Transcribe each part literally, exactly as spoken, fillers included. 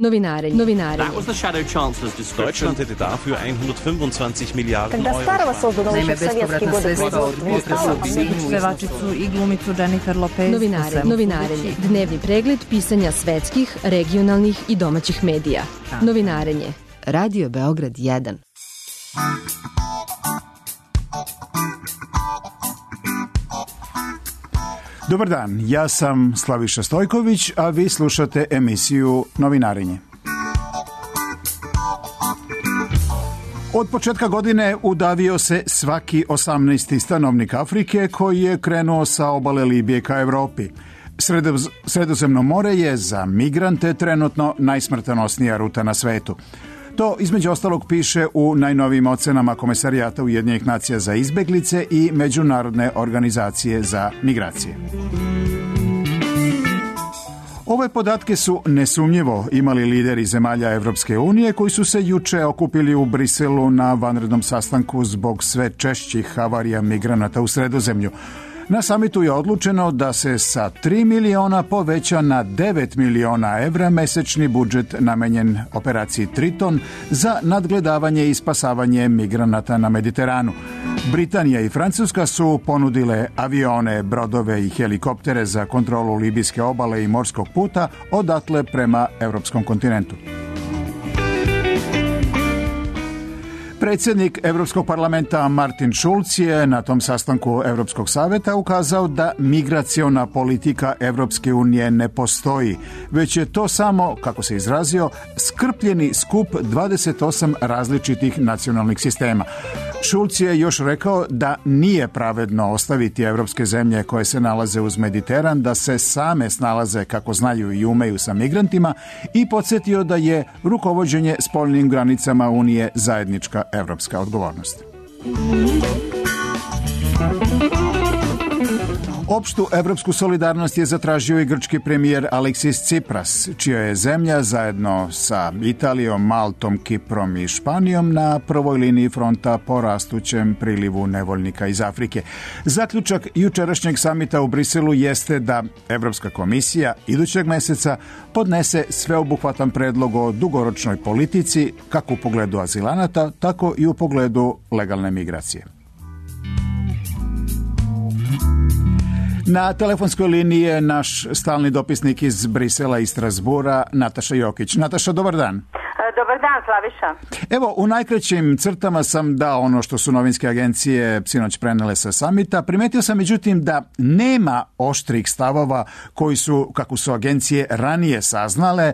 Novinarenje. Novinarenje. That was the Shadow Chancellor's description. Deutschland hätte dafür hundertfünfundzwanzig Milliarden Когда Euro. старого создано еще в советские годы производства. Pevačicu i glumicu Jennifer Lopez. Novinare, novinarenje. Dnevni pregled pisanja svetskih, regionalnih i domaćih medija. Novinarenje. Radio Beograd jedan. Dobar dan, ja sam Slaviša Stojković, a vi slušate emisiju Novinarenje. Od početka godine udavio se svaki osamnaesti stanovnik Afrike koji je krenuo sa obale Libije ka Evropi. Sredoz, Sredozemno more je za migrante trenutno najsmrtonosnija ruta na svetu. To između ostalog piše u najnovijim ocenama Komesarijata Ujedinjenih nacija za izbeglice i Međunarodne organizacije za migracije. Ove podatke su nesumnjivo imali lideri zemalja Evropske unije koji su se juče okupili u Briselu na vanrednom sastanku zbog sve češćih havarija migranata u Sredozemlju. Na samitu je odlučeno da se sa tri miliona poveća na devet miliona evra mesečni budžet namenjen operaciji Triton za nadgledavanje i spasavanje migranata na Mediteranu. Britanija i Francuska su ponudile avione, brodove i helikoptere za kontrolu libijske obale i morskog puta odatle prema evropskom kontinentu. Predsjednik Evropskog parlamenta Martin Schulz je na tom sastanku Evropskog saveta ukazao da migraciona politika Evropske unije ne postoji, već je to samo, kako se izrazio, skrpljeni skup dvadeset osam različitih nacionalnih sistema. Schulz je još rekao da nije pravedno ostaviti evropske zemlje koje se nalaze uz Mediteran da se same snalaze kako znaju i umeju sa migrantima i podsjetio da je rukovođenje spoljnim granicama Unije zajednička evropska odgovornost. Opštu evropsku solidarnost je zatražio i grčki premijer Aleksis Tsipras, čija je zemlja zajedno sa Italijom, Maltom, Kiprom i Španijom na prvoj liniji fronta po rastućem prilivu nevoljnika iz Afrike. Zaključak jučerašnjeg samita u Briselu jeste da Evropska komisija idućeg meseca podnese sveobuhvatan predlog o dugoročnoj politici kako u pogledu azilanata, tako i u pogledu legalne migracije. Na telefonskoj liniji je naš stalni dopisnik iz Brisela i Strasbura, Nataša Jokić. Nataša, dobar dan. Dobar dan, Slaviša. Evo, u najkraćim crtama sam dao ono što su novinske agencije sinoć prenele sa samita. Primetio sam, međutim, da nema oštrih stavova koji su, kako su agencije ranije saznale,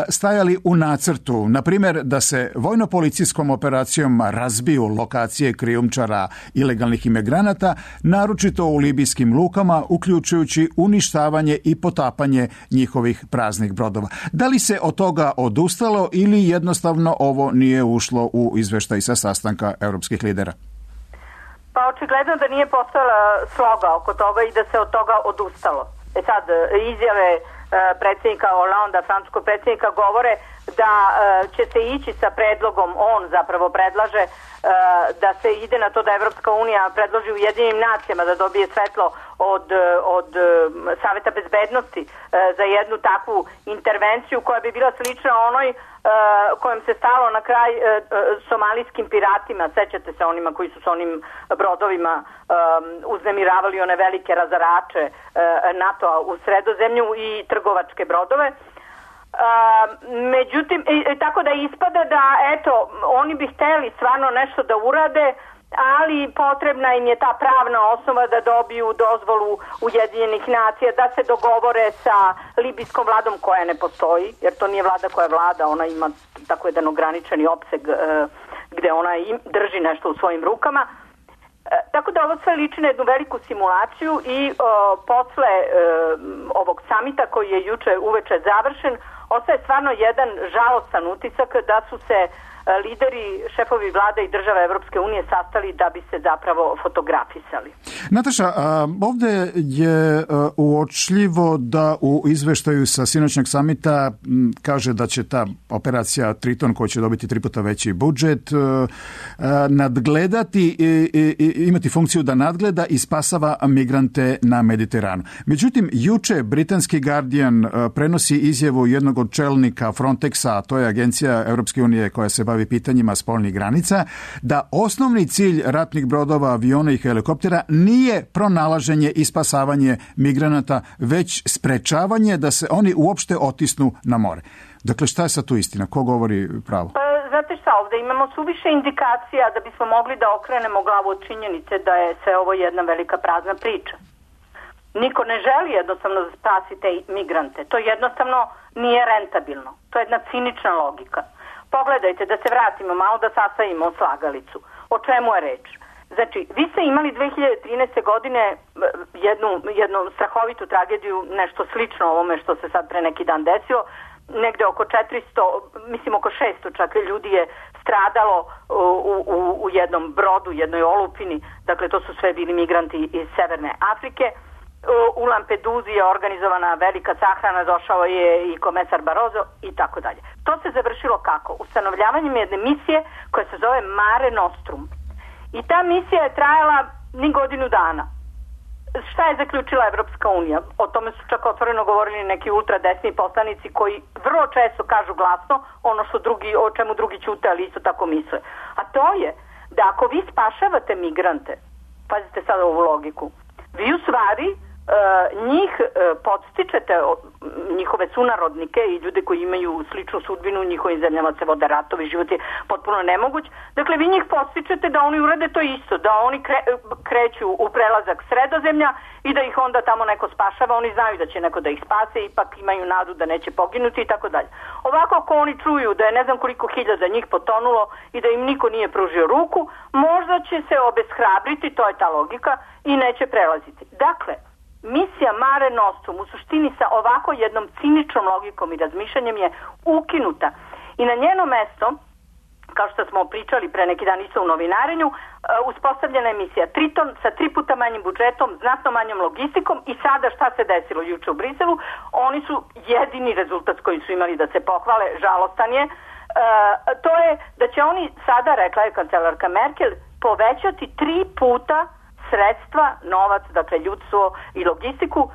stajali u nacrtu. Naprimjer, da se vojno-policijskom operacijom razbiju lokacije krijumčara ilegalnih imigranata, naročito u libijskim lukama, uključujući uništavanje i potapanje njihovih praznih brodova. Da li se od toga odustalo ili jednostavno ovo nije ušlo u izveštaj sa sastanka europskih lidera? Pa očigledno da nije postojala sloga oko toga i da se od toga odustalo. E sad, izjave predsjednika Holanda, francuskog predsjednika, govore da će se ići sa predlogom, on zapravo predlaže da se ide na to da Evropska unija predloži Ujedinjenim nacijama da dobije svetlo od, od Saveta bezbednosti za jednu takvu intervenciju koja bi bila slična onoj kojom se stalo na kraj somalijskim piratima. Sećate se onima koji su s onim brodovima uznemiravali one velike razarače NATO-a u Sredozemlju i trgovačke brodove. Uh, međutim, i, tako da ispada da, eto, oni bi hteli stvarno nešto da urade, ali potrebna im je ta pravna osnova da dobiju dozvolu Ujedinjenih nacija, da se dogovore sa libijskom vladom koja ne postoji, jer to nije vlada koja vlada, ona ima tako jedan ograničeni opseg uh, gde ona im drži nešto u svojim rukama. Uh, tako da ovo sve liči na jednu veliku simulaciju i uh, posle uh, ovog samita koji je juče uveče završen, ostaje stvarno jedan žalostan utisak da su se lideri, šefovi vlada i država Evropske unije sastali da bi se zapravo fotografisali. Nataša, ovdje je uočljivo da u izveštaju sa sinoćnog samita kaže da će ta operacija Triton, koja će dobiti tri puta veći budžet, nadgledati i imati funkciju da nadgleda i spasava migrante na Mediteranu. Međutim, juče britanski Guardian prenosi izjavu jednog od čelnika Frontexa, a to je agencija Europske unije koja se bavi pitanjima spoljnih granica, da osnovni cilj ratnih brodova, aviona i helikoptera nije pronalaženje i spasavanje migranata, već sprečavanje da se oni uopšte otisnu na more. Dakle, šta je sad tu istina? Ko govori pravo? Pa, znate šta, ovdje imamo suviše indikacija da bismo mogli da okrenemo glavu od činjenice da je sve ovo jedna velika prazna priča. Niko ne želi jednostavno da spasi te migrante. To jednostavno nije rentabilno. To je jedna cinična logika. Pogledajte, da se vratimo malo, da sastavimo slagalicu. O čemu je reč? Znači, vi ste imali dve hiljade trinaeste. godine jednu, jednu strahovitu tragediju, nešto slično ovome što se sad pre neki dan desilo. Negde oko četiristo, mislim oko šesto čak ljudi je stradalo u, u, u jednom brodu, jednoj olupini. Dakle, to su sve bili migranti iz Severne Afrike. U Lampeduzi je organizovana velika sahrana, došao je i komesar Barroso i tako dalje. To se završilo kako? Ustanovljavanjem jedne misije koja se zove Mare Nostrum. I ta misija je trajala ni godinu dana. Šta je zaključila Evropska unija? O tome su čak otvoreno govorili neki ultradesni poslanici koji vrlo često kažu glasno ono što drugi, o čemu drugi ćute, ali isto tako misle. A to je da ako vi spašavate migrante, pazite sad ovu logiku, vi u stvari njih podstičete, njihove sunarodnike i ljude koji imaju sličnu sudbinu, u njihovim zemljama se vode ratovi, život je potpuno nemoguć. Dakle, vi njih podstičete da oni urade to isto, da oni kre, kreću u prelazak Sredozemlja i da ih onda tamo neko spašava, oni znaju da će neko da ih spase, ipak imaju nadu da neće poginuti i tako dalje. Ovako, ako oni čuju da je ne znam koliko hiljada njih potonulo i da im niko nije pružio ruku, možda će se obeshrabriti, to je ta logika, i neće prelaziti. Dakle, misija Mare Nostrum u suštini sa ovako jednom ciničnom logikom i razmišljanjem je ukinuta. I na njeno mesto, kao što smo pričali pre neki dan isto u novinarenju, uspostavljena je misija Triton sa tri puta manjim budžetom, znatno manjom logistikom i sada šta se desilo juče u Briselu? Oni su jedini rezultat koji su imali da se pohvale, žalostan je. E, to je da će oni sada, rekla je kancelarka Merkel, povećati tri puta sredstva, novac, dakle ljudstvo i logistiku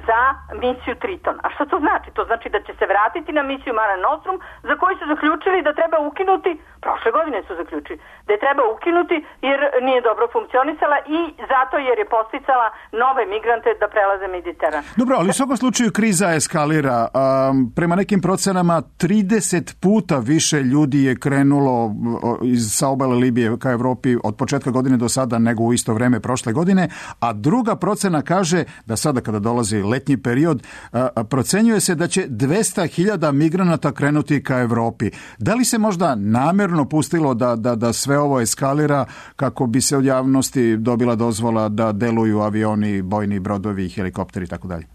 za misiju Triton. A što to znači? To znači da će se vratiti na misiju Mare Nostrum, za koju su zaključili da treba ukinuti, prošle godine su zaključili, da je treba ukinuti jer nije dobro funkcionisala i zato jer je posticala nove migrante da prelaze Mediteran. Dobro, ali u svakom slučaju kriza eskalira. Um, prema nekim procenama trideset puta više ljudi je krenulo iz, sa obale Libije ka Evropi od početka godine do sada nego u isto vreme prošle godine, a druga procena kaže da sada kada dolazi letnji period, procenjuje se da će dvesta hiljada migranata krenuti ka Evropi. Da li se možda namjerno pustilo da, da, da sve ovo eskalira kako bi se od javnosti dobila dozvola da deluju avioni, bojni brodovi, helikopteri i tako dalje?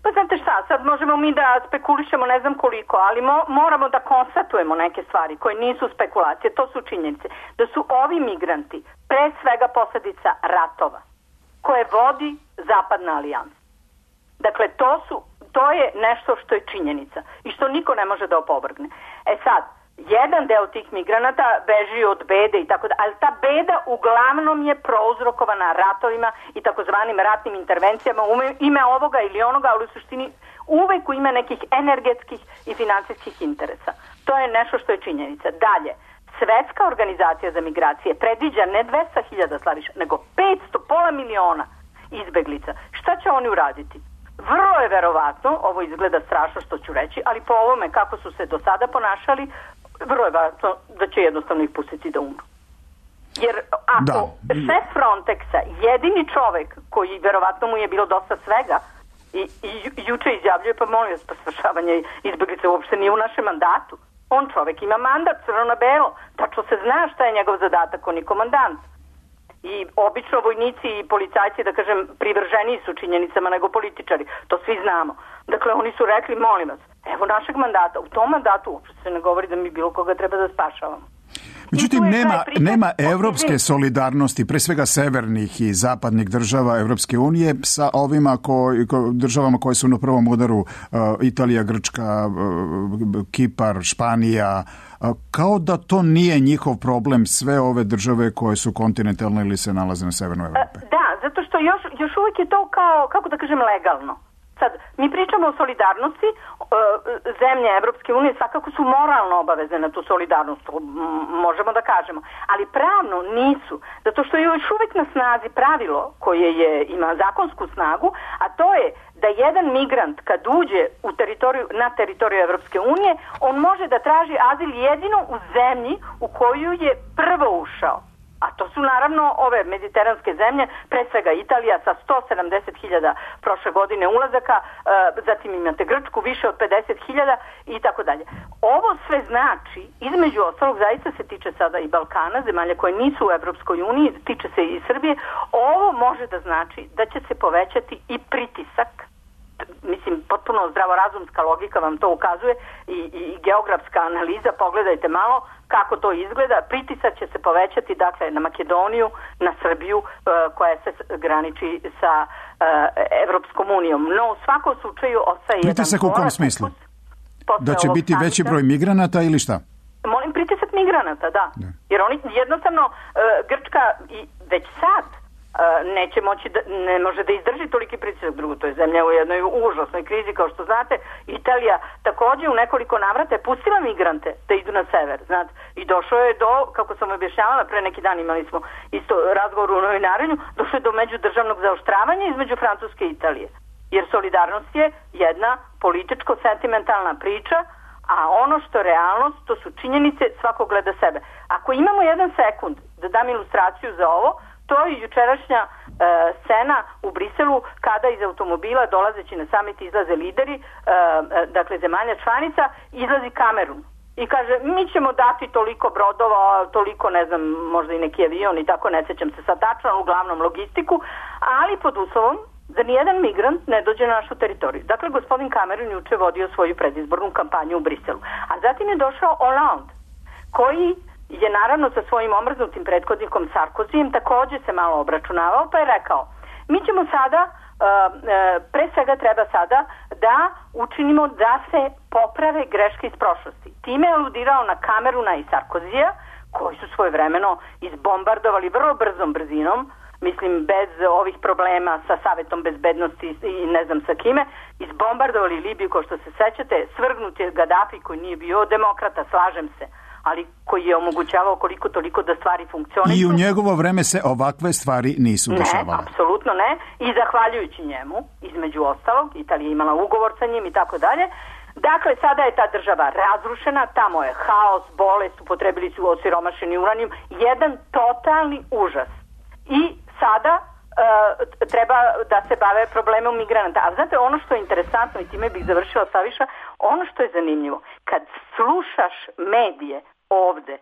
Pa znate šta, sad možemo mi da spekulišemo ne znam koliko, ali mo, moramo da konstatujemo neke stvari koje nisu spekulacije, to su činjenice. Da su ovi migranti pre svega posljedica ratova koje vodi Zapadna alijansa. Dakle, to su, to je nešto što je činjenica i što niko ne može da opovrgne. E sad, jedan deo tih migranata beži od bede i tako da, ali ta beda uglavnom je prouzrokovana ratovima i takozvanim ratnim intervencijama u ime ovoga ili onoga, ali u suštini uvek u ime nekih energetskih i financijskih interesa. To je nešto što je činjenica. Dalje, Svetska organizacija za migracije predviđa ne dvesta hiljada slaviša, nego petsto, pola miliona izbeglica. Šta će oni uraditi? Vrlo je verovatno, ovo izgleda strašno što ću reći, ali po ovome kako su se do sada ponašali, vrlo je verovatno da će jednostavno ih pustiti da umru. Jer ako da. šef Frontexa, jedini čovek koji verovatno mu je bilo dosta svega i, i juče izjavljuje, pa molim vas, pa svršavanje izbeglica uopšte nije u našem mandatu. On čovek ima mandat, crno na belo, tačno se zna šta je njegov zadatak, on je komandant. i obično vojnici i policajci, da kažem, privrženiji su činjenicama nego političari. To svi znamo. Dakle, oni su rekli, molim vas, evo našeg mandata. U tom mandatu uopšte se ne govori da mi bilo koga treba da spašavamo. Međutim, nema, nema evropske solidarnosti, pre svega severnih i zapadnih država Evropske unije sa ovima koji, ko, državama koje su na prvom udaru, uh, Italija, Grčka, uh, Kipar, Španija, uh, kao da to nije njihov problem, sve ove države koje su kontinentalne ili se nalaze na severnoj Evropi. Da, zato što još, još uvijek je to kao, kako da kažem, legalno. Sad, mi pričamo o solidarnosti, zemlje Evropske unije svakako su moralno obavezne na tu solidarnost, možemo da kažemo, ali pravno nisu, zato što je još uvijek na snazi pravilo koje je, ima zakonsku snagu, a to je da jedan migrant kad uđe u teritoriju, na teritoriju Evropske unije, on može da traži azil jedino u zemlji u koju je prvo ušao. A to su naravno ove mediteranske zemlje, pre svega Italija sa sto sedamdeset hiljada prošle godine ulazaka, zatim imate Grčku više od pedeset hiljada i tako dalje. Ovo sve znači, između ostalog, zaista se tiče sada i Balkana, zemalja koje nisu u Evropskoj uniji, tiče se i Srbije, ovo može da znači da će se povećati i pritisak, mislim, potpuno zdravorazumska logika vam to ukazuje i, i geografska analiza, pogledajte malo kako to izgleda, pritisak će se povećati dakle na Makedoniju, na Srbiju koja se graniči sa Evropskom unijom. No u svakom slučaju ostaje jedan pritisak u kom smislu? Da će biti veći broj migranata ili šta? Molim, pritisak migranata, da. da. Jer oni jednostavno Grčka i već sad neće moći da, ne može da izdrži toliki pritisak. Drugo, to je zemlja u jednoj užasnoj krizi, kao što znate. Italija također u nekoliko navrata je pustila migrante da idu na sever, znate, i došlo je do, kako sam objašnjavala, pre neki dan imali smo isto razgovor u novinarenju, došlo je do međudržavnog zaoštravanja između Francuske i Italije. Jer solidarnost je jedna političko-sentimentalna priča, a ono što je realnost, to su činjenice, svako gleda sebe. Ako imamo jedan sekund da dam ilustraciju za ovo, to je jučerašnja e, scena u Briselu kada iz automobila dolazeći na samit izlaze lideri, e, dakle zemalja članica, izlazi Kamerun i kaže mi ćemo dati toliko brodova, toliko ne znam, možda i neki avion i tako, ne sjećam se sad tačno, uglavnom logistiku, ali pod uslovom da nijedan migrant ne dođe na našu teritoriju. Dakle, gospodin Kamerun juče vodio svoju predizbornu kampanju u Briselu. A zatim je došao Hollande, koji je naravno sa svojim omrznutim prethodnikom Sarkozijem također se malo obračunavao, pa je rekao, mi ćemo sada, pre svega treba sada da učinimo da se poprave greške iz prošlosti. Time je aludirao na Kameruna i Sarkozija, koji su svojevremeno izbombardovali vrlo brzom brzinom, mislim bez ovih problema sa Savetom bezbednosti i ne znam sa kime, izbombardovali Libiju, kao što se sećate, svrgnut je Gaddafi koji nije bio demokrata, slažem se, ali koji je omogućavao koliko toliko da stvari funkcionišu. I u njegovo vreme se ovakve stvari nisu dešavale. Ne, apsolutno ne. I zahvaljujući njemu, između ostalog, Italija imala ugovor sa njim i tako dalje. Dakle, sada je ta država razrušena, tamo je haos, bolest, upotrebili su osiromašeni uranijum, jedan totalni užas. I sada e, treba da se bave problemom migranata. A znate, ono što je interesantno, i time bih završila Saviša, ono što je zanimljivo, kad slušaš medije ovde,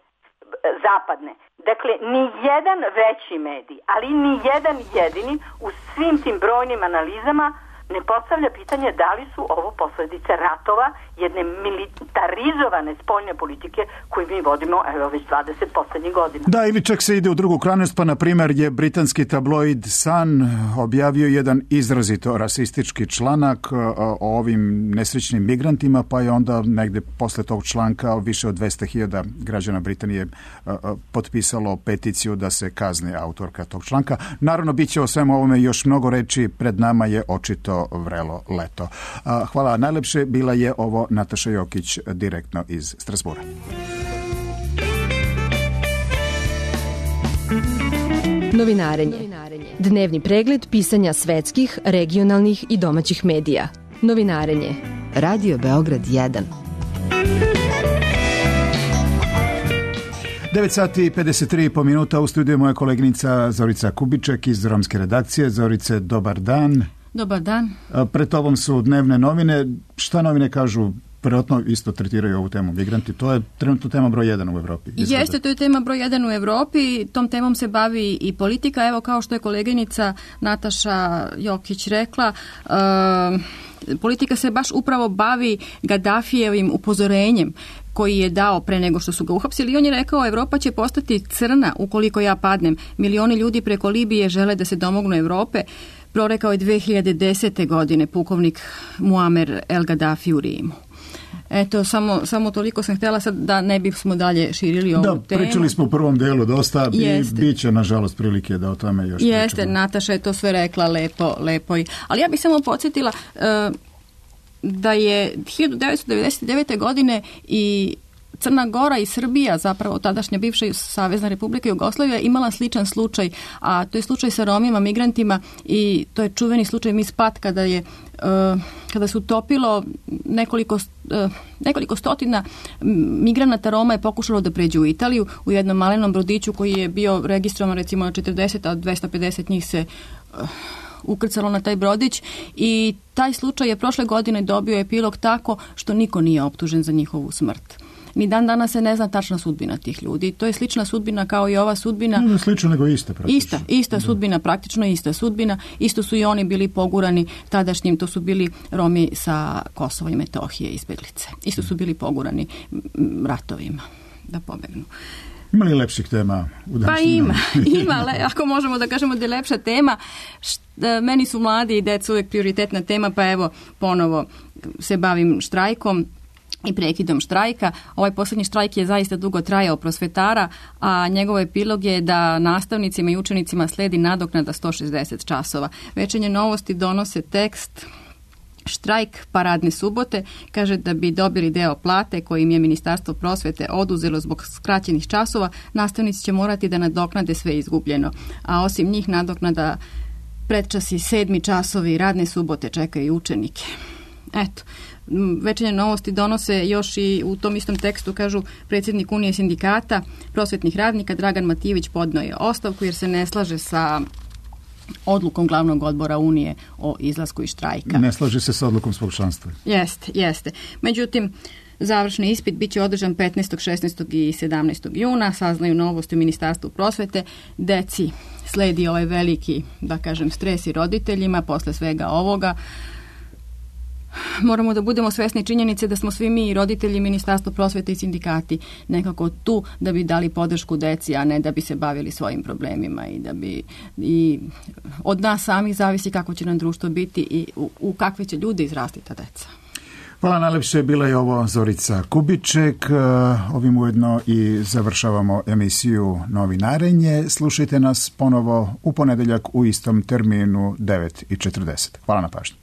zapadne, dakle, ni jedan veći medij, ali ni jedan jedini u svim tim brojnim analizama ne postavlja pitanje da li su ovo posljedice ratova, jedne militarizovane spoljne politike koju mi vodimo evo već dvadeset posljednjih godina. Da, ili čak se ide u drugu krajnost, pa na primjer je britanski tabloid Sun objavio jedan izrazito rasistički članak o ovim nesrećnim migrantima, pa je onda negde posle tog članka više od dvesta hiljada građana Britanije potpisalo peticiju da se kazni autorka tog članka. Naravno, bit će o svemu ovome još mnogo reči, pred nama je očito vrelo leto. Hvala najlepše, bila je ovo Nataša Jokić direktno iz Strasbura. Novinarenje. Dnevni pregled pisanja svetskih, regionalnih i domaćih medija. Novinarenje. Radio Beograd jedan. devet sati i pedeset tri po minuta, u studiju moja koleginica Zorica Kubiček iz romske redakcije. Zorice, dobar dan. Dobar dan. Pred tobom su dnevne novine. Šta novine kažu vjerojatno isto tretiraju ovu temu migranti. To je trenutno tema broj jedan u Evropi. Izgleda. Jeste, to je tema broj jedan u Evropi. Tom temom se bavi i politika. Evo, kao što je koleginica Nataša Jokić rekla, uh, politika se baš upravo bavi Gaddafijevim upozorenjem koji je dao pre nego što su ga uhapsili. I on je rekao, Evropa će postati crna ukoliko ja padnem. Milioni ljudi preko Libije žele da se domognu Evrope. Prorekao je dve hiljade desete. godine pukovnik Muamer El Gaddafi u Rimu. Eto, samo, samo toliko sam htjela sad da ne bismo dalje širili ovu da, temu. Da, pričali smo u prvom delu dosta Jeste. i bit će, nažalost, prilike da o tome još pričamo. Jeste, Nataša je to sve rekla lepo, lepo. Ali ja bih samo podsjetila uh, da je hiljadu devetsto devedeset devete. godine i Crna Gora i Srbija, zapravo tadašnja bivša Savezna Republika Jugoslavija, imala sličan slučaj, a to je slučaj sa Romima, migrantima, i to je čuveni slučaj Mispat kada je uh, kada se utopilo nekoliko, uh, nekoliko stotina migranata Roma je pokušalo da pređu u Italiju u jednom malenom brodiću koji je bio registrovan recimo na četrdeset, a dvesta pedeset njih se uh, ukrcalo na taj brodić i taj slučaj je prošle godine dobio epilog tako što niko nije optužen za njihovu smrt. Ni dan danas se ne zna tačna sudbina tih ljudi. To je slična sudbina kao i ova sudbina. Ne slično, nego ista praktično. Ista, ista sudbina, praktično ista sudbina. Isto su i oni bili pogurani tadašnjim, to su bili Romi sa Kosova i Metohije, izbeglice. Isto su bili pogurani ratovima da pobegnu. Ima li lepših tema u današnjem? Pa ima, ima, le, ako možemo da kažemo da je lepša tema. Šta, meni su mladi i deca uvijek prioritetna tema, pa evo ponovo se bavim štrajkom i prekidom štrajka. Ovaj posljednji štrajk je zaista dugo trajao prosvetara, a njegov epilog je da nastavnicima i učenicima sledi nadoknada sto šezdeset časova. Večernje novosti donose tekst štrajk paradne subote, kaže da bi dobili deo plate koji im je Ministarstvo prosvete oduzelo zbog skraćenih časova, nastavnici će morati da nadoknade sve izgubljeno. A osim njih nadoknada predčasi, sedmi časovi, radne subote čekaju učenike. Eto, večernje novosti donose još i u tom istom tekstu, kažu, predsjednik Unije sindikata prosvetnih radnika Dragan Matijević podneo je ostavku jer se ne slaže sa odlukom glavnog odbora Unije o izlasku iz štrajka. Ne slaže se sa odlukom svog članstva. Jeste, jeste. Međutim, završni ispit bit će održan petnaestog, šesnaestog i sedamnaestog juna, saznaju novosti u Ministarstvu prosvete. Deci sledi ovaj veliki, da kažem, stres i roditeljima posle svega ovoga. Moramo da budemo svesni činjenice da smo svi mi i roditelji, Ministarstvo prosvete i sindikati nekako tu da bi dali podršku deci, a ne da bi se bavili svojim problemima i da bi i od nas samih zavisi kako će nam društvo biti i u, u kakve će ljude izrasti ta deca. Hvala najlepše, bila je ovo Zorica Kubiček. Ovim ujedno i završavamo emisiju Novinarenje. Slušajte nas ponovo u ponedeljak u istom terminu devet i četrdeset. Hvala na pažnji.